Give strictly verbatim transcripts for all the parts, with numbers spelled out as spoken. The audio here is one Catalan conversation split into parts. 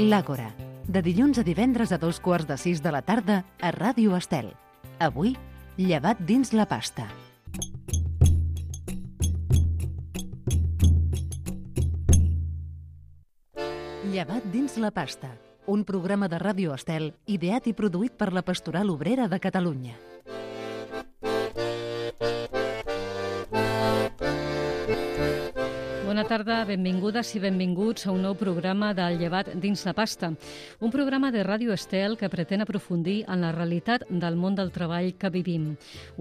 L'Àgora, de dilluns a divendres a dos quarts de sis de la tarda a Ràdio Estel. Avui, llevat dins la pasta. Llevat dins la pasta, un programa de Ràdio Estel ideat i produït per la Pastoral Obrera de Catalunya. Bona tarda, benvingudes i benvinguts a un nou programa del Llevat dins la pasta, un programa de Ràdio Estel que pretén aprofundir en la realitat del món del treball que vivim,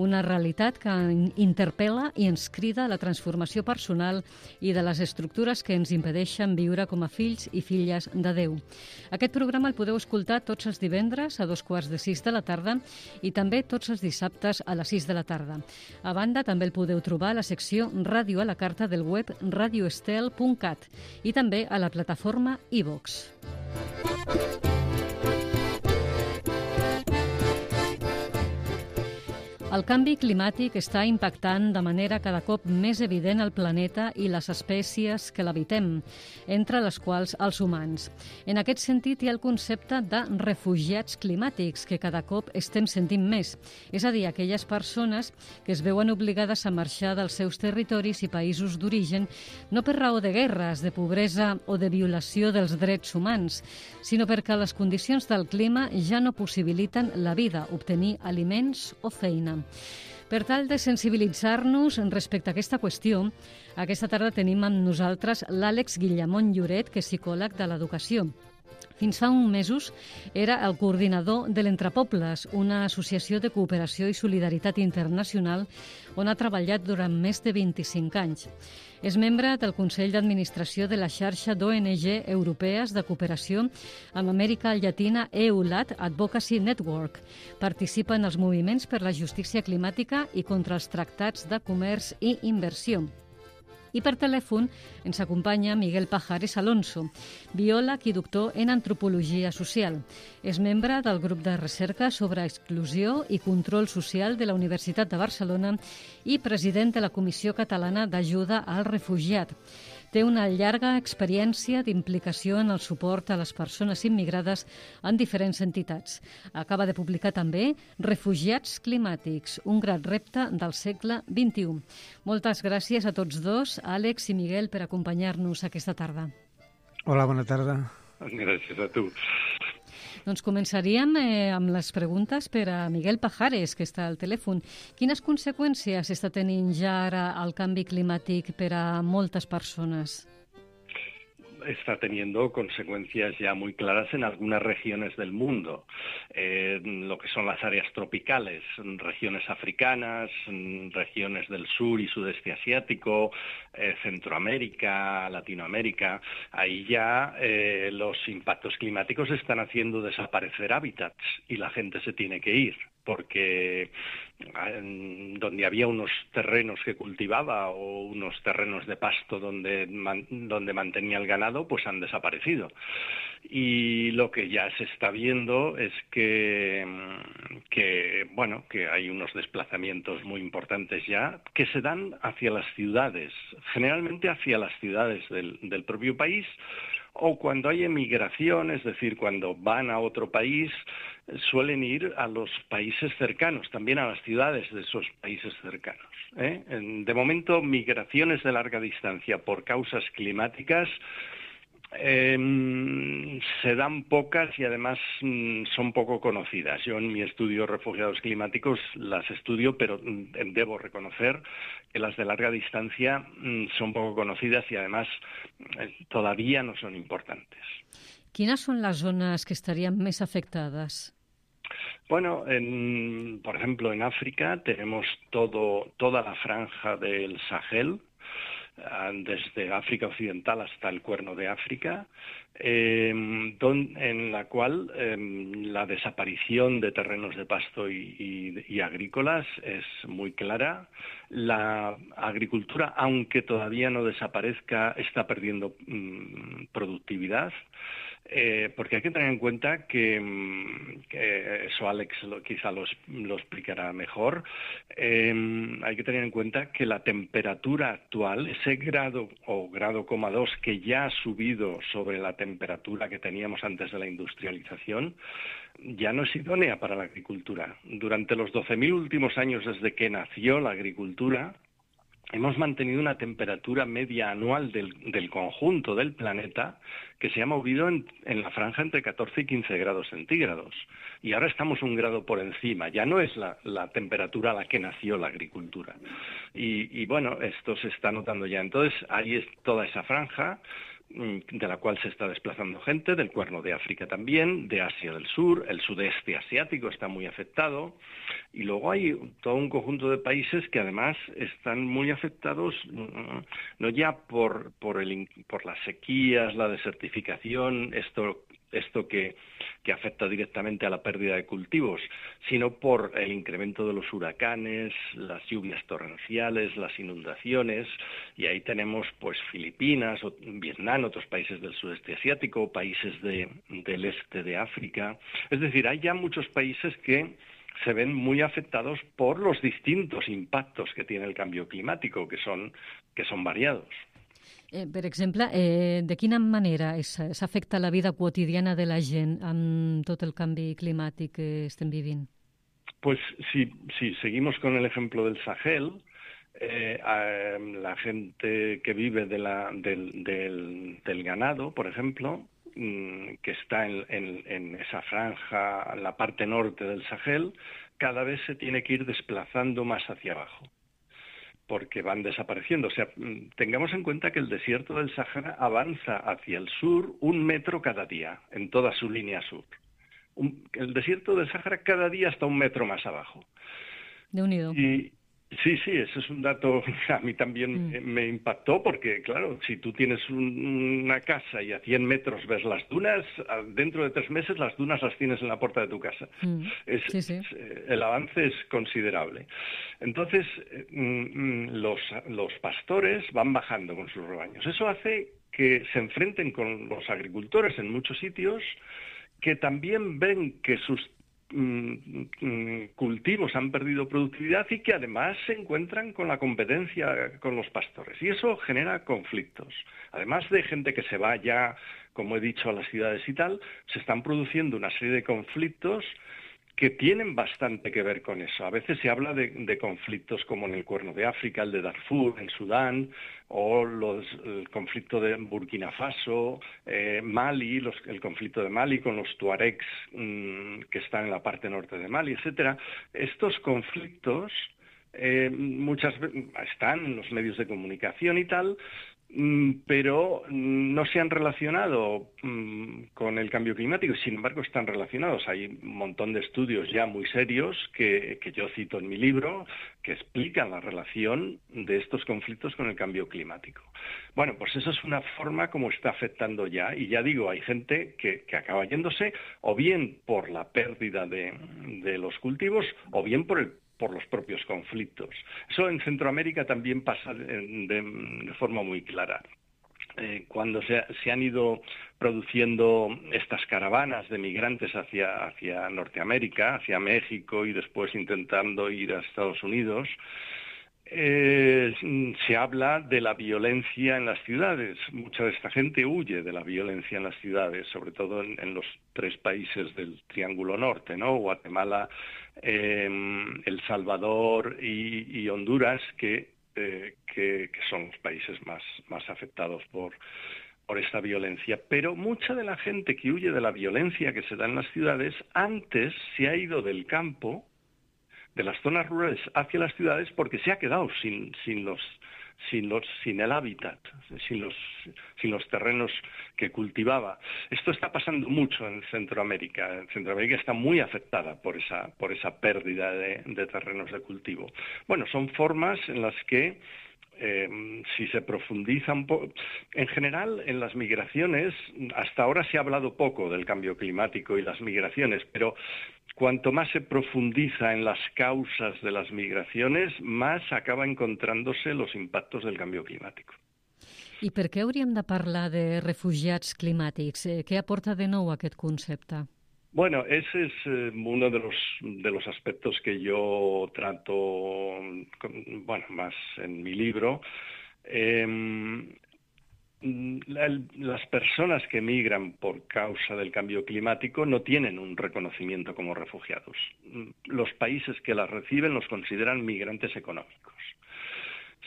una realitat que interpel·la i ens crida a la transformació personal i de les estructures que ens impedeixen viure com a fills i filles de Déu. Aquest programa el podeu escoltar tots els divendres a dos quarts de sis de la tarda i també tots els dissabtes a les sis de la tarda. A banda, també el podeu trobar a la secció Ràdio a la carta del web radio estel punt cat i també a la plataforma iVox. El canvi climàtic està impactant de manera cada cop més evident el planeta i les espècies que l'habitem, entre les quals els humans. En aquest sentit, hi ha el concepte de refugiats climàtics, que cada cop estem sentint més, és a dir, aquelles persones que es veuen obligades a marxar dels seus territoris i països d'origen, no per raó de guerres, de pobresa o de violació dels drets humans, sinó perquè les condicions del clima ja no possibiliten la vida, obtenir aliments o feina. Per tal de sensibilitzar-nos respecte a aquesta qüestió, aquesta tarda tenim amb nosaltres l'Àlex Guillamón Lloret, que és psicòleg de l'educació. Fins fa uns mesos era el coordinador de l'Entrepobles, una associació de cooperació i solidaritat internacional on ha treballat durant més de vint-i-cinc anys. És membre del Consell d'Administració de la xarxa d'O N G europees de cooperació amb Amèrica Llatina EULAT Advocacy Network. Participa en els moviments per la justícia climàtica i contra els tractats de comerç i inversió. I per telèfon ens acompanya Miguel Pajares Alonso, biòleg i doctor en antropologia social. És membre del grup de recerca sobre exclusió i control social de la Universitat de Barcelona i president de la Comissió Catalana d'Ajuda al Refugiat. Té una llarga experiència d'implicació en el suport a les persones immigrades en diferents entitats. Acaba de publicar també Refugiats climàtics, un gran repte del segle vint-i-u. Moltes gràcies a tots dos, Àlex i Miguel, per acompanyar-nos aquesta tarda. Hola, bona tarda. Gràcies a tu. Doncs començaríem eh, amb les preguntes per a Miguel Pajares, que està al telèfon. Quines conseqüències està tenint ja ara el canvi climàtic per a moltes persones? Está teniendo consecuencias ya muy claras en algunas regiones del mundo, eh, lo que son las áreas tropicales, regiones africanas, regiones del sur y sudeste asiático, eh, Centroamérica, Latinoamérica. Ahí ya eh, los impactos climáticos están haciendo desaparecer hábitats y la gente se tiene que ir, porque eh, donde había unos terrenos que cultivaba o unos terrenos de pasto donde, man, donde mantenía el ganado, pues han desaparecido. Y lo que ya se está viendo es que, que, bueno, que hay unos desplazamientos muy importantes ya que se dan hacia las ciudades, generalmente hacia las ciudades del, del propio país, o cuando hay emigración, es decir, cuando van a otro país, suelen ir a los países cercanos, también a las ciudades de esos países cercanos, ¿eh? De momento, migraciones de larga distancia por causas climáticas Eh, se dan pocas y además mm, son poco conocidas. Yo en mi estudio refugiados climáticos las estudio, pero mm, debo reconocer que las de larga distancia mm, son poco conocidas y además eh, todavía no son importantes. Quines són les zones que estarien més afectades? Bueno, en, por ejemplo, en África tenemos todo, toda la franja del Sahel, desde África Occidental hasta el Cuerno de África, eh, don, en la cual eh, la desaparición de terrenos de pasto y, y, y agrícolas es muy clara. La agricultura, aunque todavía no desaparezca, está perdiendo mmm, productividad. Eh, porque hay que tener en cuenta que, que eso Alex lo, quizá lo, lo explicará mejor, eh, hay que tener en cuenta que la temperatura actual, ese grado o grado coma dos que ya ha subido sobre la temperatura que teníamos antes de la industrialización, ya no es idónea para la agricultura. Durante los doce mil últimos años desde que nació la agricultura, hemos mantenido una temperatura media anual del, del conjunto del planeta que se ha movido en, en la franja entre catorce y quince grados centígrados. Y ahora estamos un grado por encima. Ya no es la, la temperatura a la que nació la agricultura. Y, y bueno, esto se está notando ya. Entonces, ahí es toda esa franja de la cual se está desplazando gente, del Cuerno de África también, de Asia del Sur, el sudeste asiático está muy afectado, y luego hay todo un conjunto de países que además están muy afectados, no ya por, por, el, por las sequías, la desertificación, esto esto que, que afecta directamente a la pérdida de cultivos, sino por el incremento de los huracanes, las lluvias torrenciales, las inundaciones, y ahí tenemos pues Filipinas, Vietnam, otros países del sudeste asiático, países de, del este de África. Es decir, hay ya muchos países que se ven muy afectados por los distintos impactos que tiene el cambio climático, que son, que son variados. Eh, per exemple, eh, de quina manera s'afecta la vida quotidiana de la gent amb tot el canvi climàtic que estem vivint? Pues si, si seguimos con el ejemplo del Sahel, eh, eh, la gente que vive de la, del, del, del ganado, por ejemplo, que está en, en, en esa franja, en la parte norte del Sahel, cada vez se tiene que ir desplazando más hacia abajo, porque van desapareciendo. O sea, tengamos en cuenta que el desierto del Sahara avanza hacia el sur un metro cada día, en toda su línea sur. Un, el desierto del Sahara cada día está un metro más abajo. Déu-n'hi-do. Y sí, sí, eso es un dato que a mí también mm. me impactó, porque claro, si tú tienes un, una casa y a cien metros ves las dunas, dentro de tres meses las dunas las tienes en la puerta de tu casa. Mm. Es, sí, sí. Es, el avance es considerable. Entonces, mm, los, los pastores van bajando con sus rebaños. Eso hace que se enfrenten con los agricultores en muchos sitios, que también ven que sus cultivos han perdido productividad y que además se encuentran con la competencia con los pastores, y eso genera conflictos. Además de gente que se va ya, como he dicho, a las ciudades y tal, se están produciendo una serie de conflictos que tienen bastante que ver con eso. A veces se habla de, de conflictos como en el Cuerno de África, el de Darfur, en Sudán, o los, el conflicto de Burkina Faso, eh, Mali, los, el conflicto de Mali con los tuaregs mmm, que están en la parte norte de Mali, etcétera. Estos conflictos eh, muchas veces están en los medios de comunicación y tal, pero no se han relacionado mmm, con el cambio climático, y sin embargo están relacionados. Hay un montón de estudios ya muy serios que, que yo cito en mi libro, que explican la relación de estos conflictos con el cambio climático. Bueno, pues eso es una forma como está afectando ya, y ya digo, hay gente que, que acaba yéndose o bien por la pérdida de, de los cultivos o bien por el por los propios conflictos. Eso en Centroamérica también pasa de, de, de forma muy clara. Eh, cuando se, se han ido produciendo estas caravanas de migrantes hacia, hacia Norteamérica, hacia México y después intentando ir a Estados Unidos, Eh, se habla de la violencia en las ciudades. Mucha de esta gente huye de la violencia en las ciudades, sobre todo en, en los tres países del Triángulo Norte, ¿no? Guatemala, eh, El Salvador y, y Honduras, que, eh, que, que son los países más, más afectados por, por esta violencia. Pero mucha de la gente que huye de la violencia que se da en las ciudades, antes se ha ido del campo, de las zonas rurales hacia las ciudades, porque se ha quedado sin, sin los sin los sin el hábitat, sin los sin los terrenos que cultivaba. Esto está pasando mucho en Centroamérica. Centroamérica está muy afectada por esa por esa pérdida de, de terrenos de cultivo. Bueno, son formas en las que Eh, si se profundiza un poco, en general en las migraciones, hasta ahora se ha hablado poco del cambio climático y las migraciones, pero cuanto más se profundiza en las causas de las migraciones, más acaba encontrándose los impactos del cambio climático. I per què hauríem de parlar de refugiats climàtics? Què aporta de nou aquest concepte? Bueno, ese es eh, uno de los de los aspectos que yo trato, bueno, más en mi libro. Eh, la, las personas que migran por causa del cambio climático no tienen un reconocimiento como refugiados. Los países que las reciben los consideran migrantes económicos.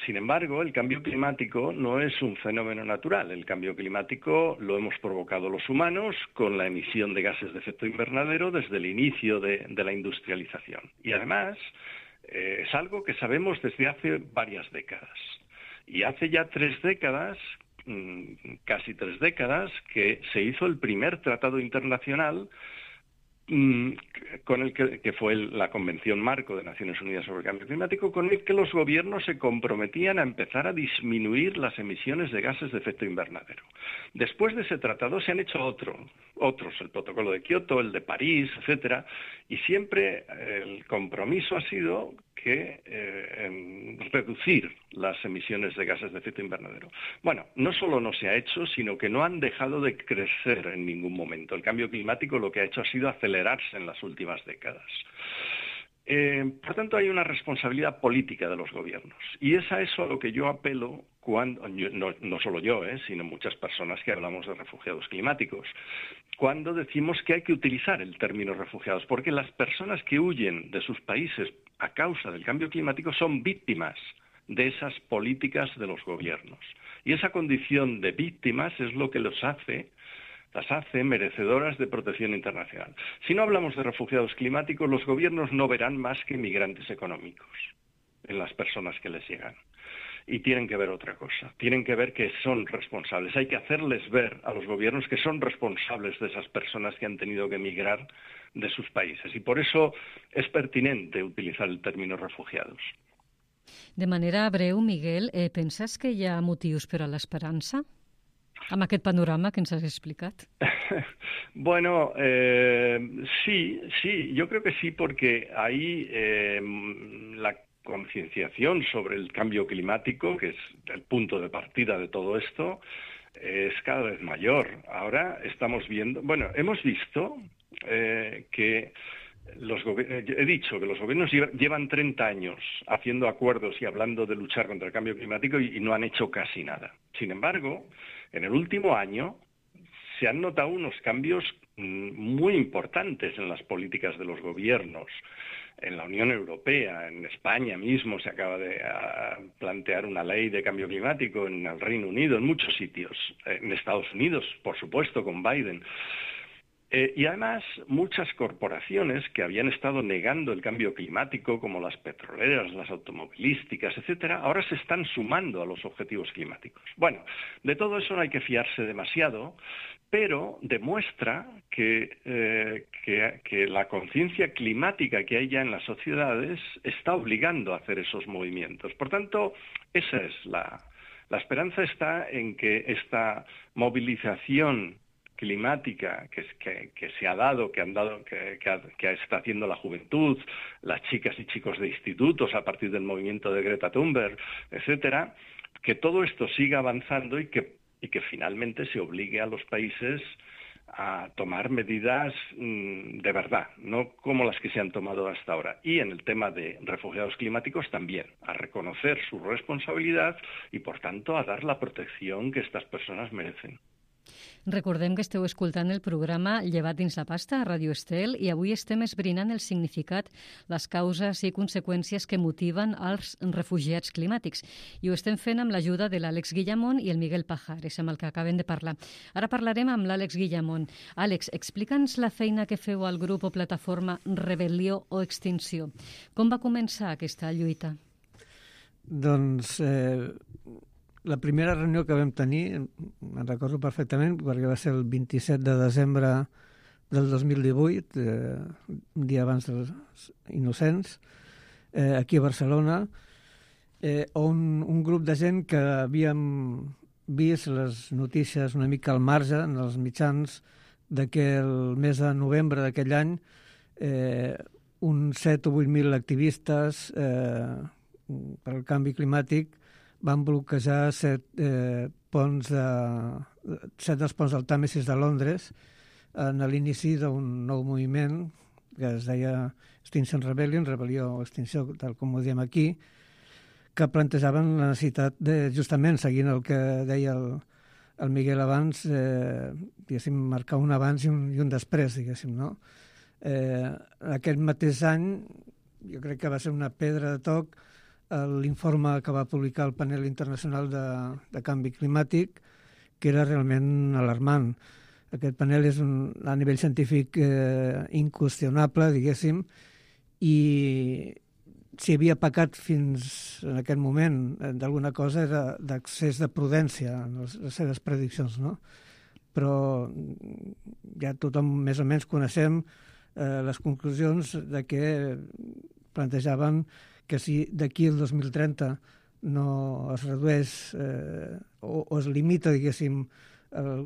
Sin embargo, el cambio climático no es un fenómeno natural. El cambio climático lo hemos provocado los humanos con la emisión de gases de efecto invernadero desde el inicio de, de la industrialización. Y además, eh, es algo que sabemos desde hace varias décadas. Y hace ya tres décadas, mmm, casi tres décadas, que se hizo el primer tratado internacional con el que, que fue el, la Convención Marco de Naciones Unidas sobre el Cambio Climático, con el que los gobiernos se comprometían a empezar a disminuir las emisiones de gases de efecto invernadero. Después de ese tratado se han hecho otro, otros, el Protocolo de Kioto, el de París, etcétera, y siempre el compromiso ha sido que eh, reducir las emisiones de gases de efecto invernadero. Bueno, no solo no se ha hecho, sino que no han dejado de crecer en ningún momento. El cambio climático lo que ha hecho ha sido acelerarse en las últimas décadas. Eh, por tanto, hay una responsabilidad política de los gobiernos. Y es a eso a lo que yo apelo cuando, no, no solo yo, eh, sino muchas personas que hablamos de refugiados climáticos, cuando decimos que hay que utilizar el término refugiados, porque las personas que huyen de sus países a causa del cambio climático son víctimas de esas políticas de los gobiernos. Y esa condición de víctimas es lo que los hace las hace merecedoras de protección internacional. Si no hablamos de refugiados climáticos, los gobiernos no verán más que migrantes económicos en las personas que les llegan. Y tienen que ver otra cosa, tienen que ver que son responsables. Hay que hacerles ver a los gobiernos que son responsables de esas personas que han tenido que emigrar de sus países. Y por eso es pertinente utilizar el término refugiados. De manera breu, Miguel, eh, penses que hi ha motius per a l'esperança? Amb aquest panorama que ens has explicat. Bueno, eh, sí, sí, yo creo que sí, porque ahí eh, la concienciación sobre el cambio climático, que es el punto de partida de todo esto, es cada vez mayor. Ahora estamos viendo, bueno, hemos visto eh, que los he dicho que los gobiernos llevan treinta años haciendo acuerdos y hablando de luchar contra el cambio climático y, y no han hecho casi nada. Sin embargo, en el último año se han notado unos cambios muy importantes en las políticas de los gobiernos. En la Unión Europea, en España mismo se acaba de plantear una ley de cambio climático, en el Reino Unido, en muchos sitios, en Estados Unidos, por supuesto, con Biden. Eh, y además, muchas corporaciones que habían estado negando el cambio climático, como las petroleras, las automovilísticas, etcétera, ahora se están sumando a los objetivos climáticos. Bueno, de todo eso no hay que fiarse demasiado, pero demuestra que, eh, que, que la conciencia climática que hay ya en las sociedades está obligando a hacer esos movimientos. Por tanto, esa es la, la esperanza está en que esta movilización climática que, que, que se ha dado, que han dado, que, que, que está haciendo la juventud, las chicas y chicos de institutos a partir del movimiento de Greta Thunberg, etcétera, que todo esto siga avanzando y que, y que finalmente se obligue a los países a tomar medidas mmm, de verdad, no como las que se han tomado hasta ahora. Y en el tema de refugiados climáticos también, a reconocer su responsabilidad y, por tanto, a dar la protección que estas personas merecen. Recordem que esteu escoltant el programa Llevat dins la pasta a Ràdio Estel i avui estem esbrinant el significat, les causes i conseqüències que motiven els refugiats climàtics. I ho estem fent amb l'ajuda de l'Àlex Guillamón i el Miguel Pajares, amb el que acabem de parlar. Ara parlarem amb l'Àlex Guillamón. Àlex, explica'ns la feina que feu al grup o plataforma Rebel·lió o Extinció. Com va començar aquesta lluita? Doncs... Eh... La primera reunió que vam tenir, me'n recordo perfectament, perquè va ser el vint-i-set de desembre del dos mil divuit, eh, un dia abans dels Innocents, eh, aquí a Barcelona, eh, on un grup de gent que havíem vist les notícies una mica al marge, en els mitjans, de que el mes de novembre d'aquell any eh, uns set o vuit mil activistes eh, per al canvi climàtic van bloquejar set eh, ponts de, set dels ponts del Tàmesis de Londres en l'inici d'un nou moviment que es deia Extinction Rebellion, rebel·lió o extinció, tal com ho diem aquí, que plantejaven la necessitat de, justament, seguint el que deia el, el Miguel abans, eh, diguéssim, marcar un abans i un, i un després, diguéssim, no? Eh, aquest mateix any, jo crec que va ser una pedra de toc l'informe que va publicar el panel internacional de, de canvi climàtic, que era realment alarmant. Aquest panel és un, a nivell científic eh, inqüestionable, diguéssim, i si havia pecat fins en aquest moment d'alguna cosa era d'accés de prudència en les, les seves prediccions, no? Però ja tothom més o menys coneixem eh, les conclusions de que plantejaven que si d'aquí al dos mil trenta no es redueix eh, o, o es limita, diguéssim,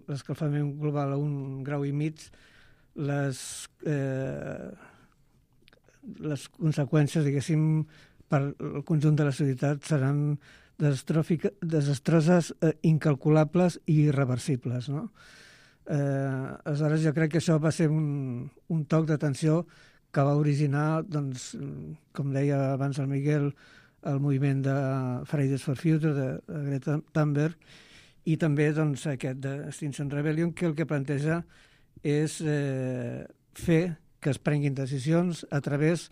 l'escalfament global a un grau i mig, les, eh, les conseqüències, diguéssim, per el conjunt de la societat seran desastroses, eh, incalculables i irreversibles, no? Eh, aleshores, jo crec que això va ser un, un toc d'atenció que va originar, doncs, com deia abans el Miguel, el moviment de Fridays for Future, de, de Greta Thunberg, i també doncs, aquest d'Extinction Rebellion, que el que planteja és eh, fer que es prenguin decisions a través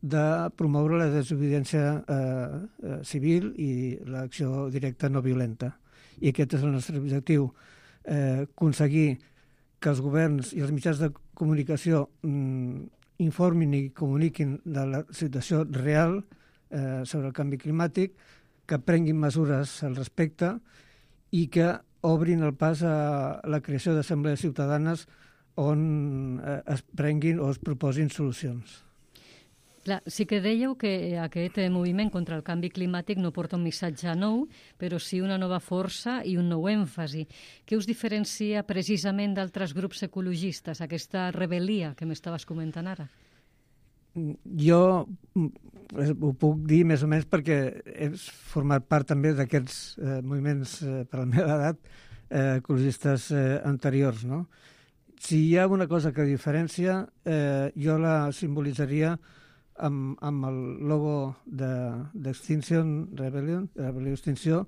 de promoure la desobediència eh, eh, civil i l'acció directa no violenta. I aquest és el nostre objectiu, eh, aconseguir que els governs i els mitjans de comunicació mm, informin i comuniquin de la situació real eh, sobre el canvi climàtic, que prenguin mesures al respecte i que obrin el pas a la creació d'assemblees ciutadanes on eh, es prenguin o es proposin solucions. Clar, sí que dèieu que aquest moviment contra el canvi climàtic no porta un missatge nou, però sí una nova força i un nou èmfasi. Què us diferencia precisament d'altres grups ecologistes, aquesta rebel·lia que m'estaves comentant ara? Jo ho puc dir més o menys perquè he format part també d'aquests eh, moviments, eh, per la meva edat, eh, ecologistes eh, anteriors, no? Si hi ha una cosa que diferencia, eh, jo la simbolitzaria amb, amb el logo d'Extinction de, Rebellion, de Rebel·lió Extinció,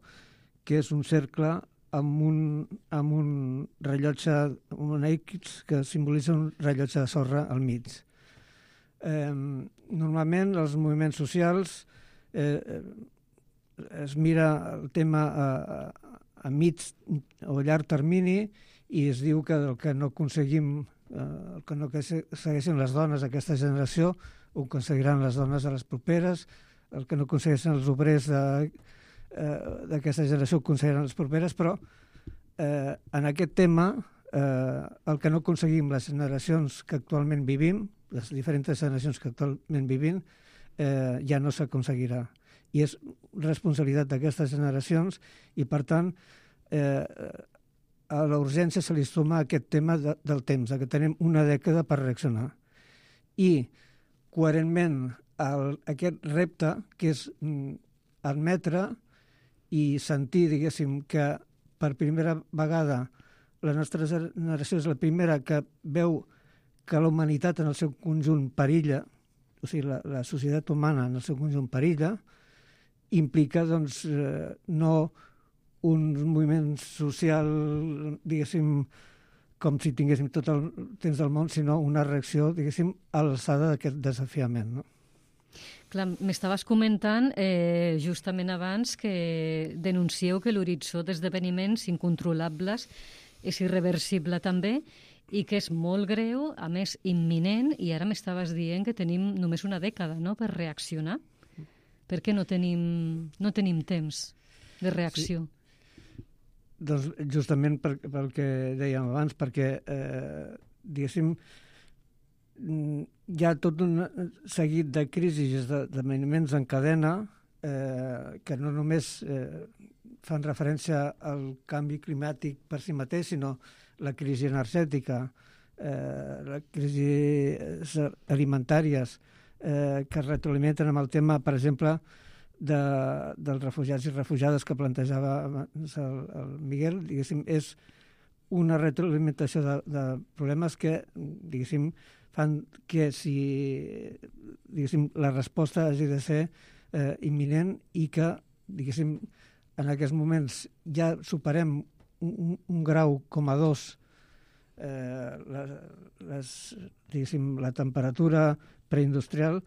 que és un cercle amb un, amb un rellotge, un X que simbolitza un rellotge de sorra al mig. Eh, normalment els moviments socials eh, es mira el tema a, a, a mig o llarg termini i es diu que el que no aconseguim, eh, el que no segueixen les dones d'aquesta generació ho aconseguiran les dones de les properes, el que no aconsegueixen els obrers d'aquesta eh, generació ho aconseguiran les properes, però eh, en aquest tema eh, el que no aconseguim les generacions que actualment vivim, les diferents generacions que actualment vivim, eh, ja no s'aconseguirà. I és responsabilitat d'aquestes generacions i, per tant, eh, a la urgència se li suma aquest tema de, del temps, que tenim una dècada per reaccionar. I coherentment el, aquest repte, que és mm, admetre i sentir, diguéssim, que per primera vegada la nostra generació és la primera que veu que la humanitat en el seu conjunt perilla, o sigui, la, la societat humana en el seu conjunt perilla, implica, doncs, eh, no un moviment social, diguéssim, com si tinguéssim tot el temps del món, sinó una reacció, diguéssim, a l'alçada d'aquest desafiament, no? Clar, m'estaves comentant eh, justament abans que denuncieu que l'horitzó d'esdeveniments incontrolables és irreversible també i que és molt greu, a més imminent, i ara m'estaves dient que tenim només una dècada, no?, per reaccionar. Per què no tenim, no tenim temps de reacció? Sí. Doncs justament per, pel que dèiem abans, perquè, eh, diguéssim, hi ha tot un seguit de crisis, d'esdeveniments en cadena, eh, que no només eh, fan referència al canvi climàtic per si mateix, sinó la crisi energètica, eh, la crisi alimentàries, eh, que es retroalimenten amb el tema, per exemple, de, dels refugiats i refugiades que plantejava abans el, el Miguel, diguéssim, és una retroalimentació de, de problemes que, diguéssim, fan que si, diguéssim, la resposta hagi de ser eh, imminent i que, diguéssim, en aquests moments ja superem un, un grau com a dos eh, les, les, diguéssim, la temperatura preindustrial,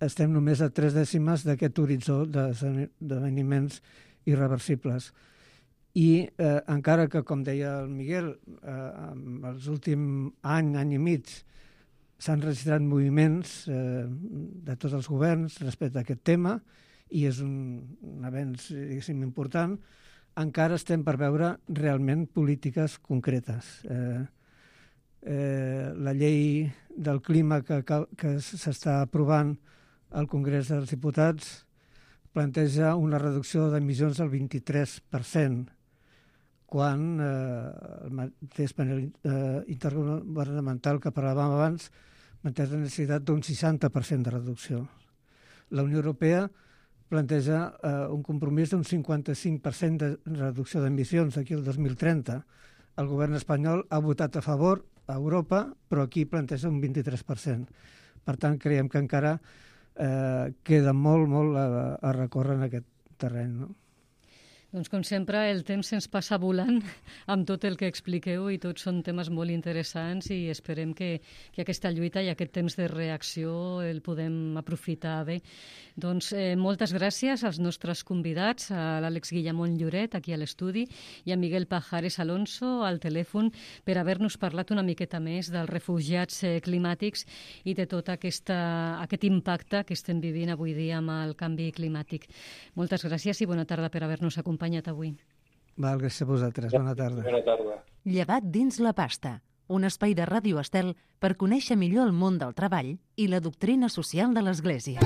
estem només a tres dècimes d'aquest horitzó d'esdeveniments irreversibles. I eh, encara que, com deia el Miguel, eh, en els últims any, any i mig, s'han registrat moviments eh, de tots els governs respecte a aquest tema, i és un, un avenç, diguéssim, important, encara estem per veure realment polítiques concretes. Eh, eh, la llei del clima que, que s'està aprovant al Congrés dels Diputats planteja una reducció d'emissions del vint-i-tres per cent, quan eh, el mateix panel eh, intergovernamental que parlàvem abans manté la necessitat d'un seixanta per cent de reducció. La Unió Europea planteja eh, un compromís d'un cinquanta-cinc per cent de reducció d'emissions d'aquí al dos mil trenta. El govern espanyol ha votat a favor a Europa, però aquí planteja un vint-i-tres per cent. Per tant, creiem que encara eh, queda molt, molt a, a recórrer en aquest terreny, no? Doncs, com sempre, el temps se'ns passa volant amb tot el que expliqueu i tots són temes molt interessants i esperem que, que aquesta lluita i aquest temps de reacció el podem aprofitar bé. Doncs eh, moltes gràcies als nostres convidats, a l'Àlex Guillamón Lloret, aquí a l'estudi, i a Miguel Pajares Alonso, al telèfon, per haver-nos parlat una miqueta més dels refugiats eh, climàtics i de tot aquesta, aquest impacte que estem vivint avui dia amb el canvi climàtic. Moltes gràcies i bona tarda per haver-nos acompanyat avui. Val, gràcies a vosaltres. Bona tarda. Bona tarda. Llevat dins la pasta, un espai de Ràdio Estel per conèixer millor el món del treball i la doctrina social de l'Església.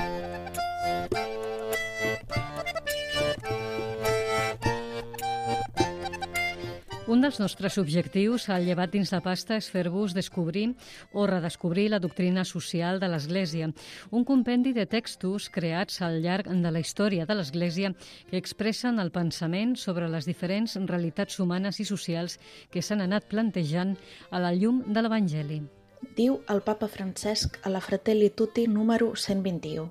Un dels nostres objectius al Llevat dins la pasta és fer-vos descobrir o redescobrir la doctrina social de l'Església, un compendi de textos creats al llarg de la història de l'Església que expressen el pensament sobre les diferents realitats humanes i socials que s'han anat plantejant a la llum de l'Evangeli. Diu el papa Francesc a la Fratelli Tutti número cent vint-i-u.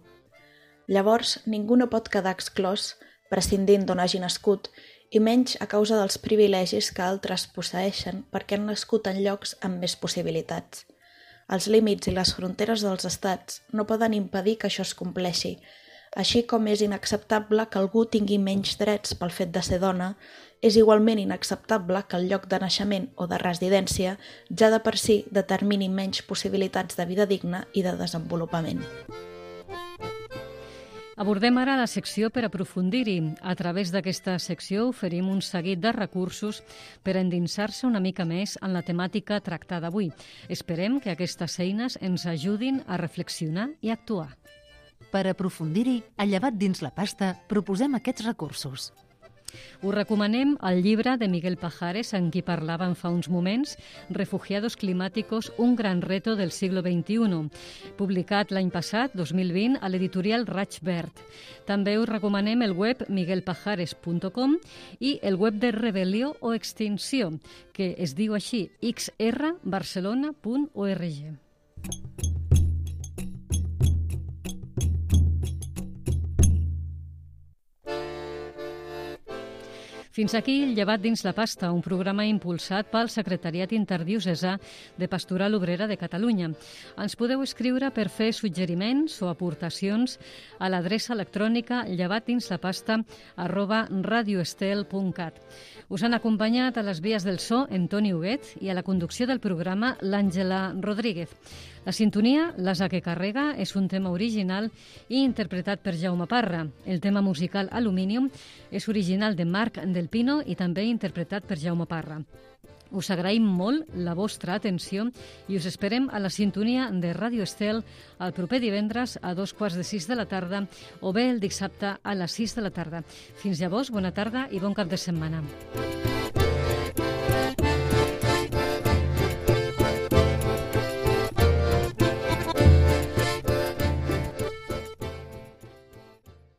Llavors, ningú no pot quedar exclòs, prescindint d'on hagi nascut, i menys a causa dels privilegis que altres posseeixen perquè han nascut en llocs amb més possibilitats. Els límits i les fronteres dels estats no poden impedir que això es compleixi, així com és inacceptable que algú tingui menys drets pel fet de ser dona, és igualment inacceptable que el lloc de naixement o de residència ja de per si determini menys possibilitats de vida digna i de desenvolupament. Abordem ara la secció per aprofundir-hi. A través d'aquesta secció oferim un seguit de recursos per endinsar-se una mica més en la temàtica tractada avui. Esperem que aquestes eines ens ajudin a reflexionar i actuar. Per aprofundir-hi, a Llevat dins la pasta proposem aquests recursos. Us recomanem el llibre de Miguel Pajares, en qui parlàvem fa uns moments, Refugiados climáticos, un gran reto del siglo veintiuno, publicat l'any passat, dos mil vint, a l'editorial Raig Verd. També us recomanem el web miguel pajares punt com i el web de Rebel·lió o Extinció, que es diu així, x r barcelona punt org. Fins aquí el Llevat dins la pasta, un programa impulsat pel Secretariat Interdiocesà de Pastoral Obrera de Catalunya. Ens podeu escriure per fer suggeriments o aportacions a l'adreça electrònica llevatdinslapasta arroba radioestel punt cat. Us han acompanyat a les vies del so en Toni Huguet i a la conducció del programa l'Àngela Rodríguez. La sintonia, l'asa que carrega, és un tema original i interpretat per Jaume Parra. El tema musical Aluminium és original de Marc Del Pino i també interpretat per Jaume Parra. Us agraïm molt la vostra atenció i us esperem a la sintonia de Ràdio Estel el proper divendres a dos quarts de sis de la tarda o bé el dissabte a les sis de la tarda. Fins llavors, bona tarda i bon cap de setmana.